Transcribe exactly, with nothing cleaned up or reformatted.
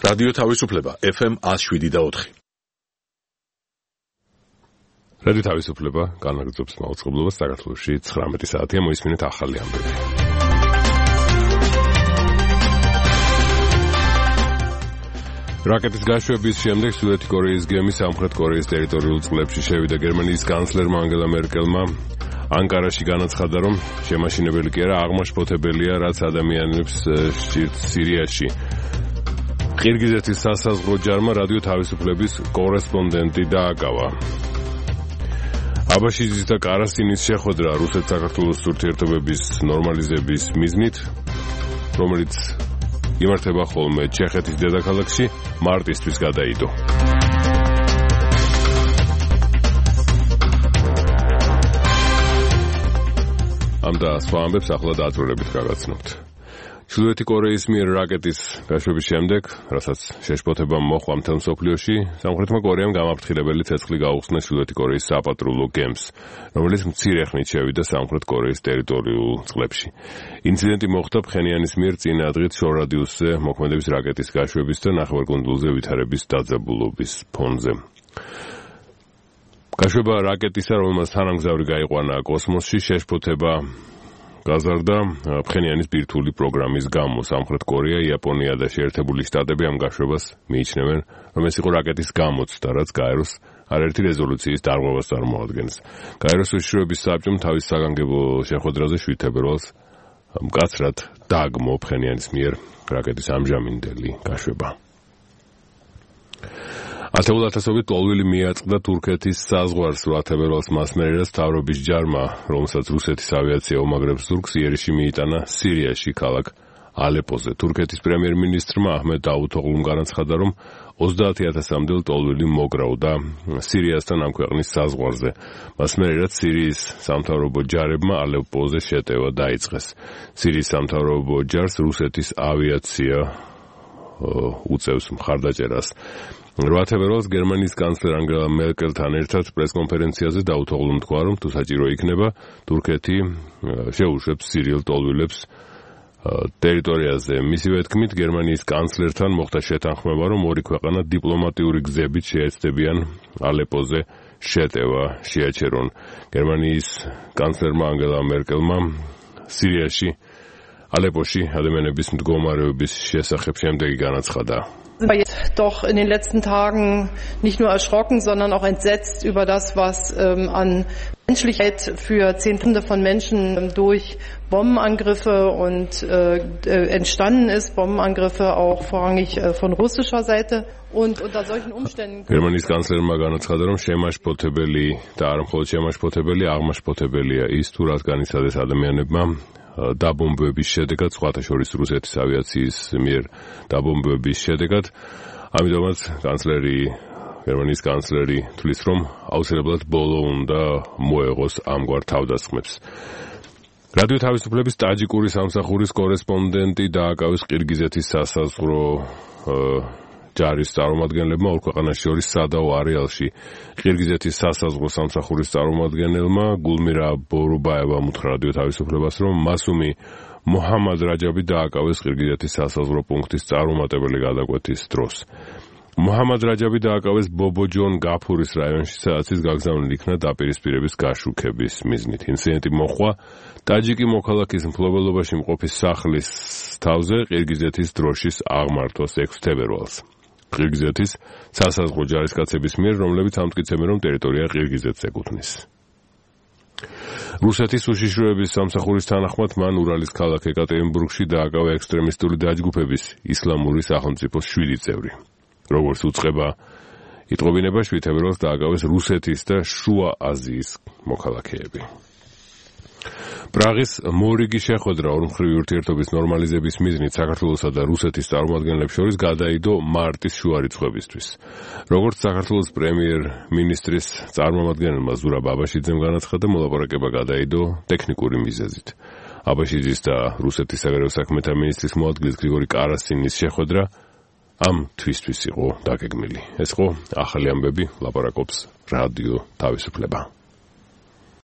რადიო თავისუფლება ეფ ემ one oh seven და four. რადიო თავისუფლება განაგრძობს მაუწყებლობას საქართველოში ცხრამეტი საათია მოისმინეთ ახალი ამბები. რაკეტის გაშვების შემდეგ ჩრდილოეთი კორეის გემი სამხრეთ კორეის ტერიტორიულ წყლებში შევიდა. გერმანიის კანცლერმა ანგელა მერკელმა ანკარაში განაცხადა, რომ შემაშინებელი კი არა, აღმაშფოთებელია, რაც ადამიანებს სჭირთ სირიაში. ყირგიზეთის სასაზღვრო ჯარმა რადიო თავისუფლების კორესპონდენტი დააკავა. აბაშიძის და კარასინის შეხვედრა რუსეთ-საქართველოს ურთიერთობების ნორმალიზების მიზნით, რომელიც იმართება ხოლმე ჩეხეთის დედაქალაქში, მარტისთვის გადაიდო. ამ და სხვა ამბებს ახლა დაძვრელებით გაგაცნობთ. ჩრდილოეთი კორეის მიერ რაკეტის გაშვების შემდეგ, რასაც შეშფოთება მოხდა მთელ მსოფლიოში, სამხრეთმა კორეამ გამაფრთხილებელი ცეცხლი გაუხსნა ჩრდილოეთი კორეის საპატრულო გემს, რომელიც მცირე ხნით შევიდა სამხრეთ კორეის ტერიტორიულ წყლებში. ინციდენტი მოხდა ფხენიანის მიერ წინა დღით შორ რადიუსზე მოქმედების რაკეტის გაშვების და ნახევარკუნძულზე ვითარების დაძაბულობის ფონზე. გაშვება რაკეტისა, რომელმაც თანამგზავრი გაიყვანა კოსმოსში, შეშფოთება გაზარდა ფხენიანის ბირთვული პროგრამის გამო. სამხრეთ კორეა, იაპონია და შეერთებული შტატები ამ გაშვებას მიიჩნევენ, რომ ეს იყო რაკეტის გამოცდა, რაც გაეროს არაერთი რეზოლუციის დარღვევას წარმოადგენს. გაეროს უშიშროების საბჭომ თავის საგანგებო შეხვედრაზე შვიდ თებერვალს მკაცრად დააგმო ფხენიანის მიერ რაკეტის ამჟამინდელი გაშვება. ათეულ ათასობით ტოლვილი მიაწყდა თურქეთის საზღვარს რვა თებერვალს მასმერერას მთავრობის ჯარმა, რომელსაც რუსეთის ავიაცია უმაგრებს ზურგს, იერიში მიიტანა სირიაში ქალაქ ალეპოზე. თურქეთის პრემიერ-მინისტრმა აჰმედ დავუთოღლუმ განაცხადა, რომ ოცდაათი ათასამდელ ტოლვილი მოგროვდა სირიასთან ამ ქვეყნის საზღვარზე. მასმერერად სირიის სამთავრობო ჯარებმა ალეპოზე შეტევა დაიწყეს. სირიის სამთავრობო ჯარს რუსეთის ავიაცია უწევს მხარდაჭერას. რვა თებერვალს გერმანიის კანცლერ ანგელა მერკელთან ერთად პრესკონფერენციაზე დავუთოღლუმ თქვა, რომ თუ საჭირო იქნება, თურქეთი შეუშვებს სირიელ ტოლვილებს ტერიტორიაზე. მისივე თქმით, გერმანიის კანცლერთან მოხდა შეთანხმება, რომ ორი ქვეყანა დიპლომატიური გზებით შეეცდებიან ალეპოზე შეტევა შეაჩერონ. გერმანიის კანცლერმა ანგელა მერკელმა სირიაში ალეპოში ადამიანების მდგომარეობის შესახებ შემდეგი განაცხადა. Sind wir jetzt doch in den letzten Tagen nicht nur erschrocken, sondern auch entsetzt über das, was ähm, an Menschlichkeit für Zehntausende von Menschen durch Bombenangriffe und äh, entstanden ist. Bombenangriffe auch vorrangig äh, von russischer Seite. Und unter solchen Umständen... გერმანიის კანცლერმა განაცხადა, რომ შემაშფოთებელი და არ მხოლოდ შემაშფოთებელი, აღმაშფოთებელია ის, თუ რაც განიცადეს ადამიანებმა დაბომბების შედეგად, სხვათა შორის რუსეთის ავიაციის მიერ დაბომბების შედეგად. ამიტომაც კანცლერი, გერმანიის კანცლერი თვლის, რომ აუცილებლად ბოლო უნდა მოეღოს ამგვარ თავდასხმებს. რადიო თავისუფლების ტაჯიკური სამსახურის კორესპონდენტი დააკავეს ყირგიზეთის სასაზღვრო ჯარის წარმომადგენლებმა ორ ქვეყანას შორის სადაო არეალში. ყირგიზეთის სასაზღვრო სამსახურის წარმომადგენელმა გულმირა ბორუბაევამ უთხრა რადიო თავისუფლებას, რომ მასუმი მოჰამად რაჯაბი დააკავეს ყირგიზეთის სასაზღვრო პუნქტის წარუმატებელი გადაკვეთის დროს. მოჰამად რაჯაბი დააკავეს ბობოჯონ გაფურის რაიონში, სადაც ის გაგზავნილი იქნა დაპირისპირების გაშუქების მიზნით. ინციდენტი მოხდა ტაჯიკი მოქალაქის მფლობელობაში მყოფი სახლის თავზე ყირგიზეთის დროშის აღმართვას ექვსი თებერვალს. ყირგიზეთის სასაზღვრო ჯარისკაცების მიერ, რომლებიც ამტკიცებენ, რომ ტერიტორია ყირგიზეთს ეკუთვნის. რუსეთის უშიშროების სამსახურის თანახმად მან ურალის ქალაქ ეკატერინბურგში დააკავა ექსტრემისტული დაჯგუფების ისლამური სახელმწიფოს შვიდი წევრი. როგორც უწყება იტყობინება, შვიდ თებერვალს დააკავეს რუსეთის და შუა აზიის მოქალაქეები. პრაღის მორიგი შეხვედრა ორმხრივი ურთიერთობის ნორმალიზების მიზნით საქართველოსა და რუსეთის წარმომადგენლებს შორის გადაიდო მარტის შუარიცხვებისთვის. როგორც საქართველოს პრემიერ-მინისტრის წარმომადგენელმა ზურაბ აბაშიძემ განაცხადა, მოლაპარაკება გადაიდო ტექნიკური მიზეზით. აბაშიძის და რუსეთის საგარეო საქმეთა მინისტრის მოადგილის გრიგორი კარასინის შეხვედრა ამ თვისთვის იყო დაგეგმილი. ეს იყო ახალი ამბები, ლაპარაკობს რადიო თავისუფლება.